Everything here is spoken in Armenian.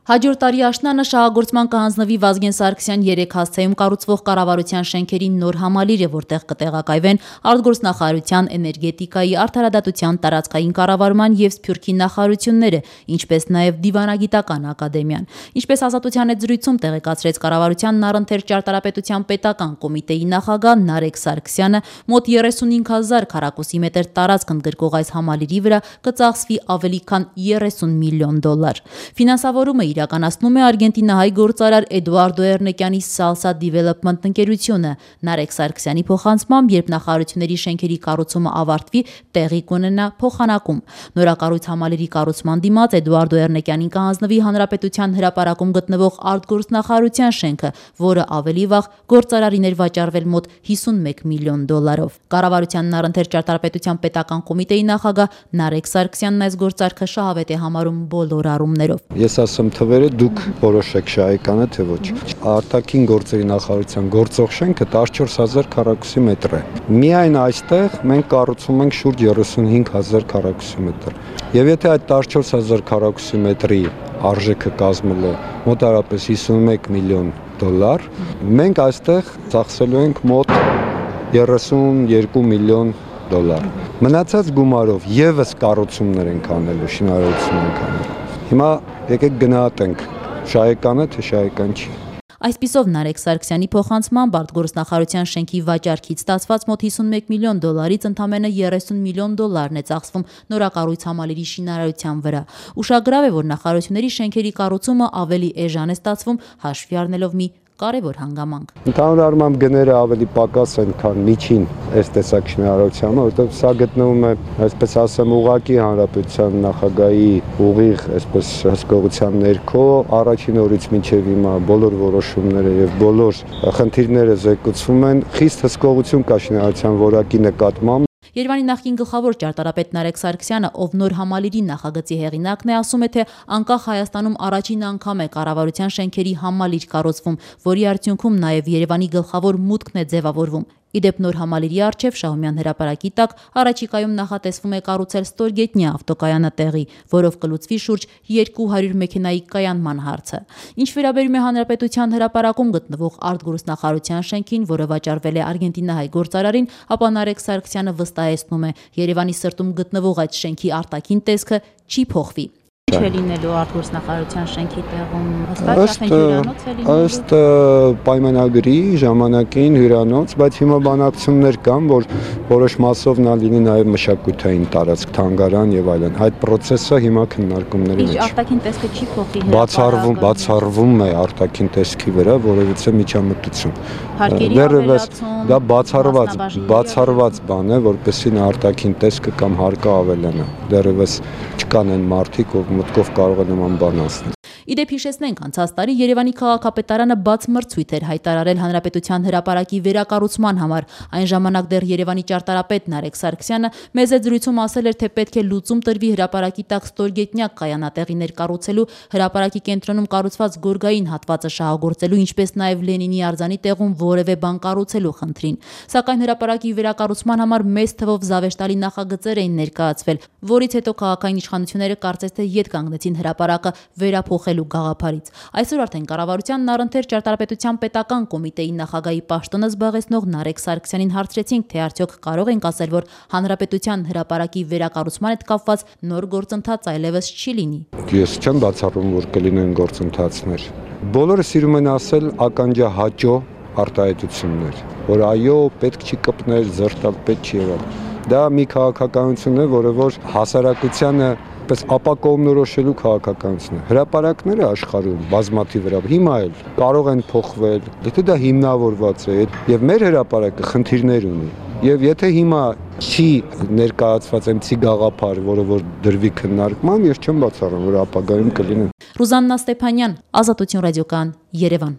Հաջորդ տարի աշնանը շահագործման կհանձնվի Վազգեն Սարգսյան 3 հասցեում կառուցվող կառավարության շենքերի նոր համալիրը, որտեղ կտեղակայվեն արտգործնախարարության, էներգետիկայի, արդարադատության, տարածքային կառավարման և Սփյուռքի նախարարությունները, ինչպես նաև Դիվանագիտական ակադեմիան։ Ինչպես Ազատության հետ զրույցում տեղեկացրեց կառավարությանն առընթեր ճարտարապետության պետական կոմիտեի նախագահ Նարեկ Սարգսյանը, մոտ 35,000 քառակուսի մետր տարածք ընդգրկող այս համալիրի վրա կծախսվի ավելի քան $30 միլիոն։ Ֆինանսավորումը իրականացնում է արգենտինահայ գործարար Էդուարդո Էրնեկյանի Salsa Development ընկերությունը։ Նարեկ Սարգսյանի փոխանցմամբ, երբ նախարարությունների շենքերի կառուցումը ավարտվի, տեղի կունենա փոխանակում։ Նորակառույց համալիրի կառուցման դիմաց Էդուարդո Էրնեկյանին կհանձնվի Հանրապետության հրապարակում գտնվող արտգործնախարարության շենքը, որը ավելի վաղ գործարարին էր վաճառվել մոտ $51 միլիոն։ Կառավարությանն առընթեր ճարտարապետության պետական կոմիտեի նախագահ Նարեկ Սարգսյանն այս գործարքը շահավետ է համարում բոլոր առումներով։ Ես ասեմ թվերը, դուք որոշեք շահեկանը թե ոչ։ Արտաքին գործերի նախարարության գործող շենքը 14,000 քառակուսի մետր է։ Միայն այստեղ մենք կառուցում ենք շուրջ 35,000 քառակուսի մետր։ Եվ եթե այդ 14,000 քառակուսի մետրի արժեքը կազմել է մոտարապես $51 միլիոն, մենք այստեղ ծախսելու ենք մոտ $32 միլիոն։ Մնացած գումարով եւս կառուցումներ ենք անելու, շինարարություն ենք անելու։ Հիմա եկեք գնահատենք շահեկանը թե շահեկան չի։ Այսպիսով Նարեկ Սարգսյանի փոխանցմամբ արտգործնախարարության շենքի վաճառքից ստացված մոտ $51 միլիոնից ընդամենը $30 միլիոն է ծախսվում նորակառույց համալիրի շինարարության վրա։ Ուշագրավ է, որ նախարարությունների շենքերի կառուցումը ավելի էժան է ստացվում, հաշվի առնելով մի կարևոր հանգամանք։ Ընդհանուր առմամբ գները ավելի պակաս են, քան միջին այս տեսակ շինարարությանը, որովհետև սա գտնվում է, այսպես ասեմ, ուղղակի հանրապետության նախագահի ուղիղ, այսպես հսկողության ներքո, առաջին օրից մինչև հիմա բոլոր որոշումները եւ բոլոր խնդիրները զեկուցվում են, խիստ հսկողություն կա շինարարության որակի նկատմամբ։ Երևանի նախկին գլխավոր ճարտարապետ Նարեկ Սարգսյանը, ով նոր համալիրի նախագծի հեղինակն է, ասում է, թե անկախ Հայաստանում առաջին անգամ է կառավարության շենքերի համալիր կառուցվում, որի արդյունքում նաև Երևանի գլխավոր մուտքն է ձևավորվում։ Իդեպ նոր համալիրի առջև Շահումյան հրապարակի տակ առաջիկայում նախատեսվում է կառուցել ստորգետնյա ավտոկայանը տեղի, որով կլուծվի շուրջ 200 մեքենայի կայանման հարցը։ Ինչ վերաբերում է Հանրապետության հրապարակում գտնվող արտգործնախարարության շենքին, որը վաճառվել է արգենտինահայ գործարարին, ապա Նարեկ Սարգսյանը վստահեցնում է, Երևանի սրտում գտնվող այդ շենքի արտաքին տեսքը չի փոխվի։ Ինչ է լինելու արտգործնախարարության շենքի տեղում, հստակ հյուրանոց է լինելու։ Ըստ պայմանագրի ժամանակին հյուրանոց, բայց հիմա բանակցություններ կան, որ որոշ մասով նա լինի նաև մշակութային տարածք, թանգարան եւ այլն։ Այդ process-ը հիմա քննարկումների մեջ։ Ինչ արտաքին տեսքը չի փոխի։ Բացառվում է արտաքին տեսքի վրա որևիցե միջամտություն։ Դեռևս դա բացառված բան է, որպեսզի նա արտաքին տեսքը կամ հարկը ավելանա։ Դեռևս չկան այն մարդիկ, ով մտքով կարող է նման բան ասել։ Իդեպ հիշեցնենք, անցած տարի Երևանի քաղաքապետարանը բաց մրցույթ էր հայտարարել Հանրապետության հրապարակի վերակառուցման համար։ Այն ժամանակ դեռ Երևանի ճարտարապետ Նարեկ Սարգսյանը մեծ զրույցում ասել էր, թե պետք է լուծում տրվի հրապարակի տակ ստորգետնյա կայանատեղիներ կառուցելու, հրապարակի կենտրոնում կառուցված գորգային հատվածը շահագործելու, ինչպես նաև Լենինի արձանի տեղում որևէ բան կառուցելու խնդրին։ Սակայն հրապարակի վերակառուցման համար մեծ թվով զավեշտալի նախագծեր էին ներկայացվել, որից հետո քաղաքային իշխանությունները կարծես թե ետ կանգնեցին հրապարակը վերափոխելու գաղափարից։ Այսօր արդեն կառավարությանն առընթեր ճարտարապետության պետական կոմիտեի նախագահի պաշտոնը զբաղեցնող Նարեկ Սարգսյանին հարցրեցինք, թե արդյոք կարող ենք ասել, որ հանրապետության հրապարակի վերակառուցման հետ կապված նոր գործընթաց այլևս չի լինի։ Ես չեմ բացառում, որ կլինեն գործընթացներ։ Բոլորը սիրում են ասել ականջահաճո արտահայտություններ, որ այո, պետք չի կպնել, զրտալ պետք չի եղել։ Դա մի քաղաքականություն է, որը որ հասարակությանը պես ապակողմնորոշելու քաղաքականություն է։ Հրապարակները աշխարհում բազմաթիվ հիմա էլ կարող են փոխվել, եթե դա հիմնավորված է, եւ մեր հրապարակը խնդիրներ ունի։ Եվ եթե հիմա չի ներկայացված այնպիսի գաղափար, որը որ դրվի քննարկման, ես չեմ բացառում, որ ապագայում կլինեն։ Ռուզաննա Ստեփանյան, Ազատություն ռադիոկայան, Երևան։